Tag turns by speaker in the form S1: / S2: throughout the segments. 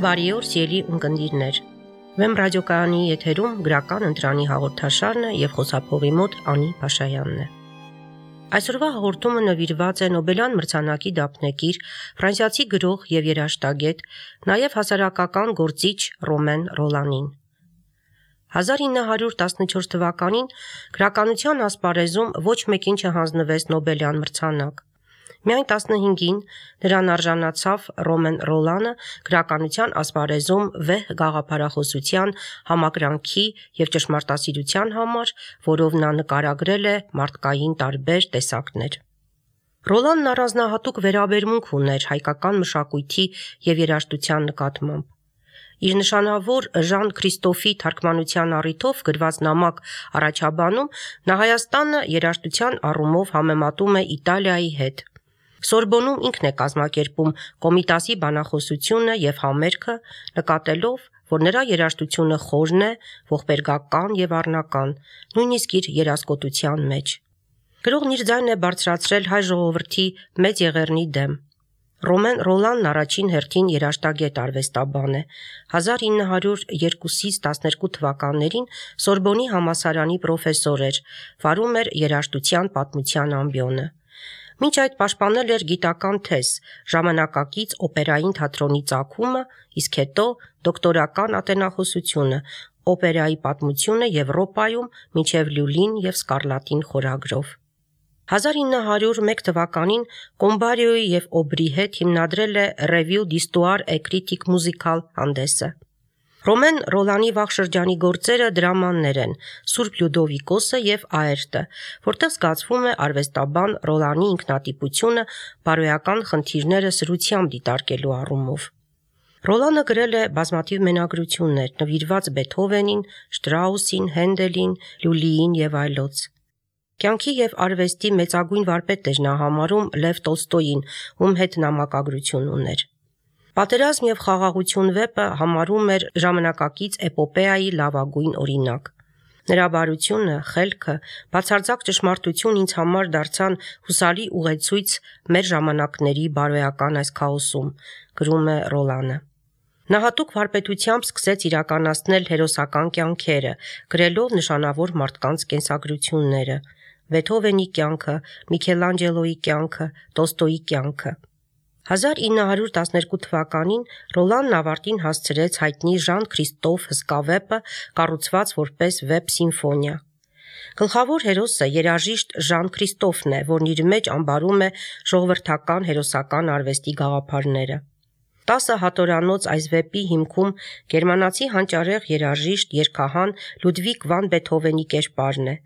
S1: Բարի օր, սիրելի ունկնդիրներ։ Վեմ ռադիոկայանի եթերում գրական ընտրանի հաղորդաշարն է եւ խոսափողի մոտ Անի Փաշայանն է։ Այսօրվա հաղորդումը նվիրված է Նոբելյան մրցանակի դափնեկիր ֆրանսիացի գրող եւ երաժշտագետ, նաեւ հասարակական գործիչ Ռոմեն Ռոլանին։ 1914 թվականին գրականության ասպարեզում ոչ մեկին չհանձնվեց Նոբելյան մրցանակ։ Միայն 15-ին նրան արժանացավ Ռոմեն Ռոլանը գրականության ասպարեզում վեհ գաղափարախոսության, համակրանքի եւ ճշմարտասիրության համար, որով նա նկարագրել է մարդկային տարբեր տեսակներ։ Ռոլանն առանձնահատուկ վերաբերմունք ուներ հայկական մշակույթի եւ երաժշտության նկատմամբ։ Իր նշանավոր Ժան Քրիստոֆի թարգմանության առիթով գրված նամակ առաջաբանում նա Հայաստանը երաժշտության առումով համեմատում է Իտալիայի հետ։ Սորբոնում ինքն է կազմակերպում Կոմիտասի բանախոսությունը եւ համերգը, նկատելով, որ նրա երաժշտությունը խորն է, ողբերգական եւ առնական, նույնիսկ իր երազկոտության մեջ։ Գրողն իր ձայնն է բարձրացրել հայ ժողովրդի մեծ եղեռնի դեմ։ Ռոմեն Ռոլանն առաջին հերթին երաժշտագետ արվեստաբան է։ 1902-ից 12 թվականներին Սորբոնի համալսարանի պրոֆեսոր էր, վարում էր երաժշտության պատմության ամբիոնը։ Մինչ այդ պաշտպանել էր գիտական թեզ, ժամանակակից օպերային թատրոնի ծագումը, իսկ հետո դոկտորական ատենախոսությունը, օպերայի պատմությունը Եվրոպայում մինչև Լյուլին եւ Սկարլատին խորագրով։ 1901 թվականին Կոմբարիոյի եւ Օբրի հետ հիմնադրել է Revue d'Histoire et Critique Musicale հանդեսը։ Ռոմեն Ռոլանի վաղ շրջանի գործերը դրամաներ են Սուրբ Լյուդովիկոսը եւ Աերտը, որտեղ զգացվում է արվեստաբան Ռոլանի ինքնատիպությունը բարոյական խնդիրները սրությամբ դիտարկելու առումով։ Ռոլանը գրել է բազմաթիվ մենագրություններ, նվիրված Բեթհովենին, Շտրաուսին, Հենդելին, Լյուլիին եւ այլոց։ Կյանքի եւ արվեստի մեծագույն վարպետ էր նա համարում Լև Տոլստոյին, ում հետ նամակագրություն ուներ։ Պատերազմ եւ խաղաղություն վեպը համարում էր ժամանակակից էպոպեայի լավագույն օրինակ։ Նրա բարությունը, խելքը, բացարձակ ճշմարտություն ինձ համար դարձան հուսալի ուղեցույց մեր ժամանակների բարոյական այս քաոսում, գրում է Ռոլանը։ Նա հատուկ վարպետությամբ սկսեց իրականացնել հերոսական կյանքերը, գրելով նշանավոր մարդկանց կենսագրությունները՝ Բեթհովենի կյանքը, Միքելանջելոյի կյանքը, Տոլստոյի կյանքը։ 1912 թվականին Ռոլանն ավարտին հասցրեց հայտնի Ժան Քրիստոֆ հսկա վեպը, կառուցված որպես վեպ սիմֆոնիա։ Գլխավոր հերոսը երաժիշտ Ժան Քրիստոֆն է, որն իր մեջ ամբարում է ժողովրդական հերոսական արվեստի գաղափարները։ 10 հատորանոց այս վեպի հիմքում գերմանացի հանճարեղ երաժիշտ երգահան Լյուդվիգ վան Բեթհովենի կերպարն է։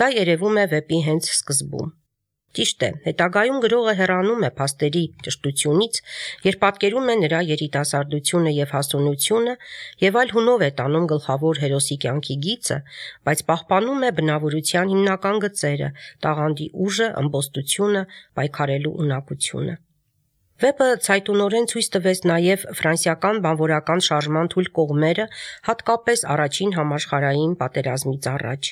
S1: Դա երևում է վեպի հենց սկզբում։ Ճիշտ է, հետագայում գրողը հեռանում է փաստերի ճշտությունից, երբ պատկերում է նրա երիտասարդությունը եւ հասունությունը եւ այլ հունով է տանում գլխավոր հերոսի կյանքի գիծը, բայց պահպանում է բնավորության հիմնական գծերը՝ տաղանդի ուժը, ըմբոստությունը, պայքարելու ունակությունը։ Վեպը ցայտունորեն ցույց տվեց նաև ֆրանսիական բանվորական շարժման թույլ կողմերը, հատկապես առաջին համաշխարհային պատերազմից առաջ,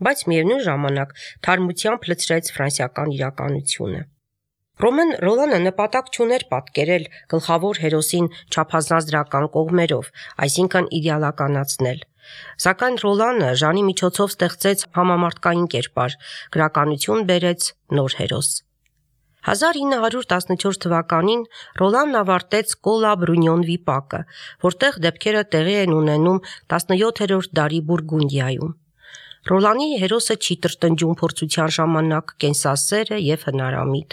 S1: բայց միևնույն ժամանակ թարմությամբ լցրեց ֆրանսիական իրականությունը։ Ռոմեն Ռոլանը նպատակ չուներ պատկերել գլխավոր հերոսին չափազանց դրական կողմերով, այսինքն իդեալականացնել։ Սակայն Ռոլանը Ժանի միջոցով ստեղծեց համամարտկային կերպար, գրականություն բերեց նոր հերոս։ 1914 թվականին Ռոլանն ավարտեց Կոլա Բրունյոն վիպակը, որտեղ դեպքերը տեղի են ունենում 17-րդ դարի Բուրգունդիայում։ Ռոլանի հերոսը չի տրտնջում փորձության ժամանակ, կենսասեր է եւ հնարամիտ։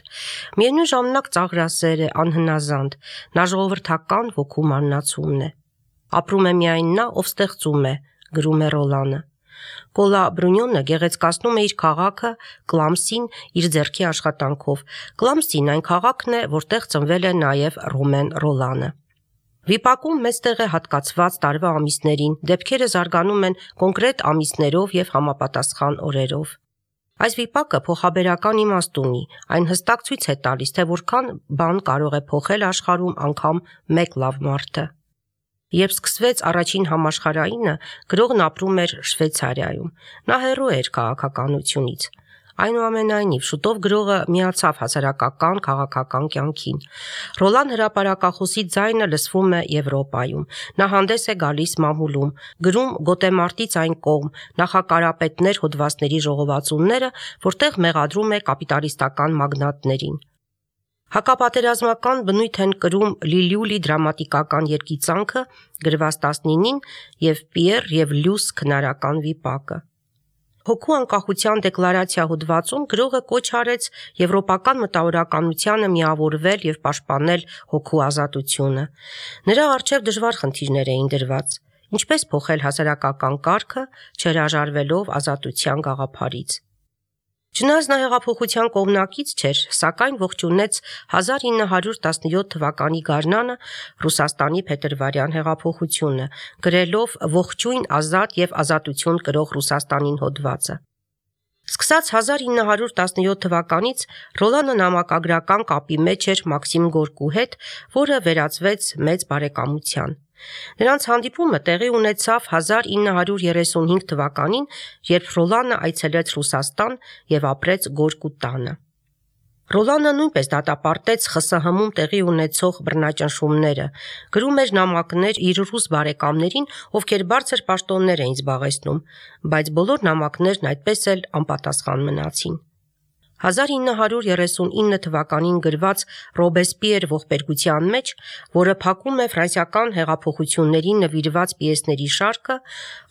S1: Միևնույն ժամանակ ծաղրասեր է, անհնազանդ, նա ժողովրդական ոգու մարմնացումն է։ Ապրում է միայն նա, ով ստեղծում է, գրում է Ռոլանը։ Կոլա Բրունյոնը գեղեցկացնում է իր քաղաքը Կլամսին իր ձեռքի աշխատանքով։ Կլամսին այն քաղաքն է, որտեղ ծնվել է նաև Ռոմեն Ռոլանը։ Վիպակում մեծ տեղ է հատկացված տարվա ամիսներին, դեպքերը զարգանում են կոնկրետ ամիսներով եւ համապատասխան օրերով։ Այս վիպակը փոխաբերական իմաստ ունի, այն հստակ ցույց է տալիս, թե որքան բան կարող է փոխել աշխարհում անգամ մեկ լավ մարդը։ Երբ սկսվեց առաջին համաշխարհայինը, գրողն ապրում էր Շվեյցարիայում։ Նա հեռու էր քաղաքականությունից։ Այնուամենայնիվ, շուտով գրողը միացավ հասարակական քաղաքական կյանքին։ Ռոլան հրապարակախոսի ձայնը լսվում է Եվրոպայում։ Նա հանդես է գալիս մամուլում, գրում գոտեմարտից այն կողմ, նախակարապետներ հոդվածների ժողովածուները, որտեղ մեղադրում է կապիտալիստական մագնատներին։ Հակապատերազմական բնույթ են կրում Լիլյուլի դրամատիկական երգիծանքը գրված 19-ին եւ Պիեր եւ Լյուս քնարական վիպակը։ Հոգու անկախության դեկլարացիա հոդվածում գրողը կոչ արեց եվրոպական մտավորականությանը միավորվել եւ պաշտպանել հոգու ազատությունը։ Նրա առջև դժվար խնդիրներ էին դրված. ինչպես փոխել հասարակական կարգը, չհրաժարվելով ազատության գաղափարից։ Չնայած նա հեղափոխության կողմնակից չէր, սակայն ողջունեց 1917 թվականի գարնանը Ռուսաստանի փետրվարյան հեղափոխությունը, գրելով «Ողջույն ազատ եւ ազատություն կրող Ռուսաստանին» հոդվածը։ Սկսած 1917 թվականից Ռոլանը նամակագրական կապի մեջ էր Մաքսիմ Գորկու հետ, որը վերածվեց մեծ բարեկամության։ Նրանց հանդիպումը տեղի ունեցավ 1935 թվականին, երբ Ռոլանը այցելեց Ռուսաստան եւ ապրեց Գորկու տանը։ Ռոլանը նույնպես դատապարտեց ԽՍՀՄ-ում տեղի ունեցող բռնաճնշումները, գրում էր նամակներ իր ռուս բարեկամներին, ովքեր բարձր պաշտոններ էին զբաղեցնում, բայց բոլոր նամակներն այդպես էլ անպատասխան մնացին։ 1939 թվականին գրված Ռոբեսպիեր ողբերգության մեջ, որը փակում է ֆրանսիական հեղափոխություններին նվիրված պիեսների շարքը,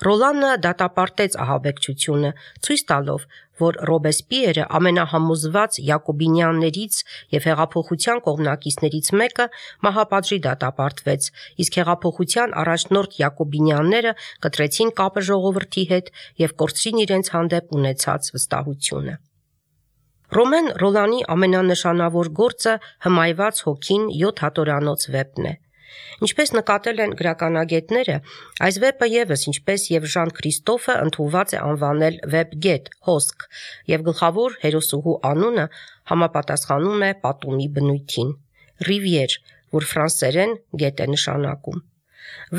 S1: Ռոլանը դատապարտեց ահաբեկչությունը, ցույց տալով, որ Ռոբեսպիերը ամենահամոզված յակոբինյաններից եւ հեղափոխության կողմնակիցներից մեկը մահապատժի դատապարտվեց, իսկ հեղափոխության առաջնորդ յակոբինյանները կտրեցին կապը ժողովրդի հետ եւ կորցրին իրենց հանդեպ ունեցած վստահությունը։ Ռոմեն Ռոլանի ամենանշանավոր գործը «Հմայված հոգին» 7 հատորանոց վեպն է։ Ինչպես նկատել են գրականագետները, այս վեպը ևս, ինչպես եւ Ժան Քրիստոֆը, ընդունված է անվանել վեպգետ, հոսք, եւ գլխավոր հերոսուհու անունը համապատասխանում է պատումի բնույթին՝ Ռիվիեր, որ ֆրանսերեն գետ է նշանակում։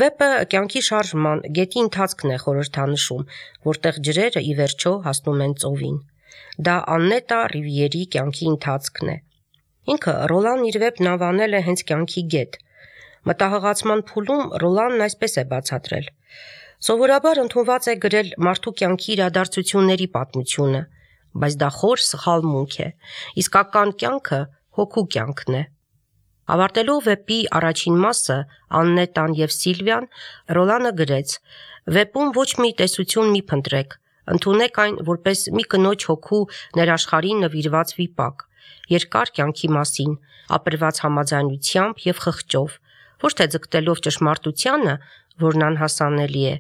S1: Վեպը կյանքի շարժման, գետի ընթացքն է խորհրդանշում, որտեղ ջրերը ի վերջո հասնում են ծովին։ Դա Աննետա Ռիվիերի կյանքի ընթացքն է։ Ինքը Ռոլան իր վեպն անվանել է հենց կյանքի գետ։ Մտահղացման փուլում Ռոլանն այսպես է բացատրել. Սովորաբար ընդունված է գրել մարդու կյանքի իրադարձությունների պատմությունը, բայց դա խոր սխալմունք է։ Իսկական կյանքը հոգու կյանքն է։ Ավարտելով վեպի առաջին մասը, Աննետան եւ Սիլվիան, Ռոլանը գրեց. «Վեպում ոչ մի տեսություն մի փնտրեք, ընդունեք այն որպես մի կնոջ հոգու ներաշխարհին նվիրված վիպակ, երկար կյանքի մասին, ապրված համաձայնությամբ եւ խղճով, ոչ թե ձգտելով ճշմարտությանը, որն անհասանելի է,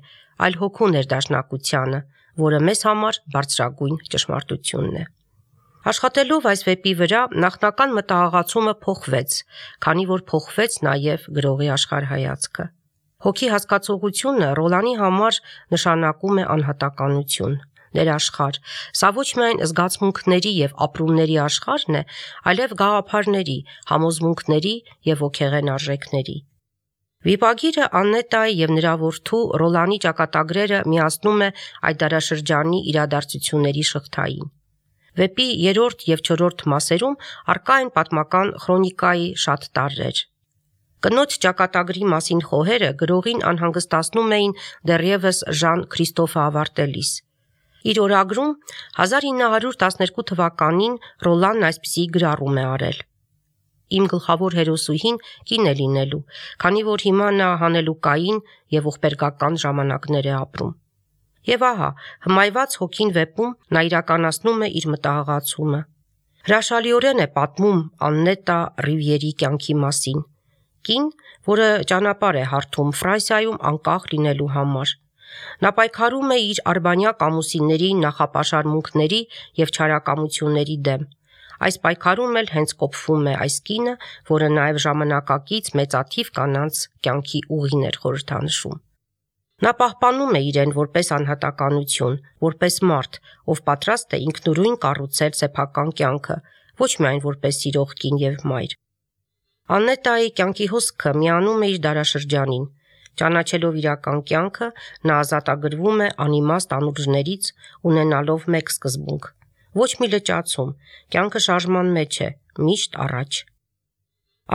S1: այլ հոգու ներդաշնակությանը, որը մեզ համար բարձրագույն ճշմարտությունն է»։ Աշխատելով այս վեպի վրա, նախնական մտահղացումը փոխվեց, քանի որ փոխվեց նաեւ գրողի աշխարհայացքը։ Հոգի հասկացողությունը Ռոլանի համար նշանակում է անհատականություն, ներաշխարհ։ Սա ոչ միայն զգացմունքների եւ ապրումների աշխարհն է, այլև գաղափարների, համոզմունքների եւ ոգեղեն արժեքների։ Վիպագիրը Աննետայի եւ նրա որդու Ռոլանի ճակատագրերը միացնում է այդ դարաշրջանի իրադարձությունների շղթային։ Վեպի 3-րդ եւ 4-րդ մասերում առկա են պատմական քրոնիկայի շատ տարրեր։ Կնոջ ճակատագրի մասին խոհերը գրողին անհանգստացնում էին դեռևս Ժան Քրիստոֆը ավարտելիս։ Իր օրագրում 1912 թվականին Ռոլանն այսպիսի գրառում է արել. «Իմ գլխավոր հերոսուհին կին է լինելու, քանի որ հիմա նա հանելուկային եւ ողբերգական ժամանակներ է ապրում»։ Եվ ահա, հմայված հոգին վեպում նա իրականացնում է իր մտահղացումը։ Հրաշալիորեն է պատմում Աննետա Ռիվիերի կյանքի մասին։ Կին, որը ճանապարհ է հարթում Ֆրանսիայում անկախ լինելու համար։ Նա պայքարում է իր արբանյակ ամուսինների նախապաշարմունքների եւ չարակամությունների դեմ։ Այս պայքարում էլ հենց կոփվում է այս կինը, որը նաեւ ժամանակակից մեծաթիվ կանանց կյանքի ուղին էր խորհրդանշում։ Նա պահպանում է իրեն որպես անհատականություն, որպես մարդ, ով պատրաստ է ինքնուրույն կառուցել սեփական կյանքը, ոչ միայն որպես սիրող կին եւ մայր։ Աննետայի կյանքի հոսքը միանում է իր դարաշրջանին։ Ճանաչելով իրական կյանքը, նա ազատագրվում է անիմաստ անուրջներից, ունենալով մեկ սկզբունք՝ Ոչ մի լճացում, կյանքը շարժման մեջ է, միշտ առաջ։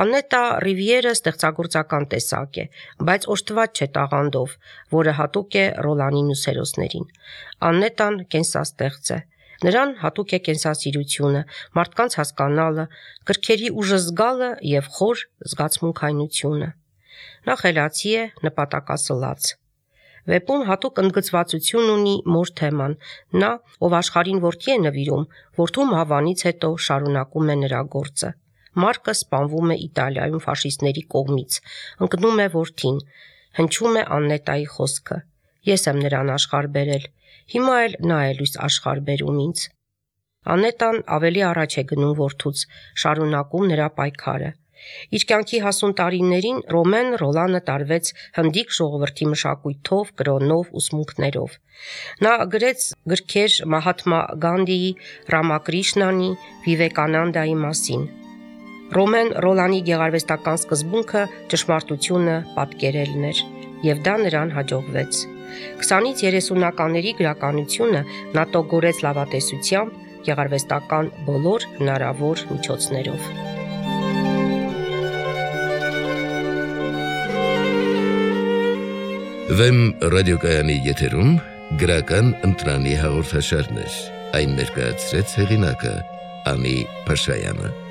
S1: Աննետա Ռիվիերը ստեղծագործական տեսակ է, բայց օժտված չէ տաղանդով, որը հատուկ է Ռոլանին ու սերոսներին։ Աննետան կենսաստեղծ է։ Նրան հատուկ է կենսասիրությունը, մարդկանց հասկանալը, գրքերի ուժը զգալը և խոր զգացմունքայնությունը։ Նա խելացի է, նպատակասլաց։ Վեպում հատուկ ընդգծվածություն ունի մոր թեման։ Նա, ով աշխարհին որդի է նվիրում, որդու մահվանից հետո շարունակում է նրա գործը։ Մարկը սպանվում է Իտալիայում ֆաշիստների կողմից, ընկնում է որդին, հնչում է Աննետայի խոսքը. «Ես եմ նրան աշխարհ բերել, հիմա էլ նա է լույս աշխարհ բերում ինձ»։ Աննետան ավելի առաջ է գնում որդուց, շարունակում նրա պայքարը։ Իր կյանքի հասուն տարիներին Ռոլանը տարվեց հնդիկ ժողովրդի մշակույթով, կրոնով, ուսմունքներով։ Նա գրեց գրքեր Մահաթմա Գանդիի, Ռամակրիշնանի, Վիվեկանանդայի մասին։ Ռոլանի գեղարվեստական սկզբունքը ճշմարտությունը պատկերելն էր, և դա նրան հաջողվեց։ 20-ից 30-ականների գրականությունը նա տոգորեց լավատեսությամբ, գեղարվեստական բոլոր հնարավոր միջոցներով։
S2: Վեմ ռադիոկայանի եթերում գրական ընտրանի հաղորդաշարներ, այն ներկայացրեց հեղինակը Անի Փաշայանը։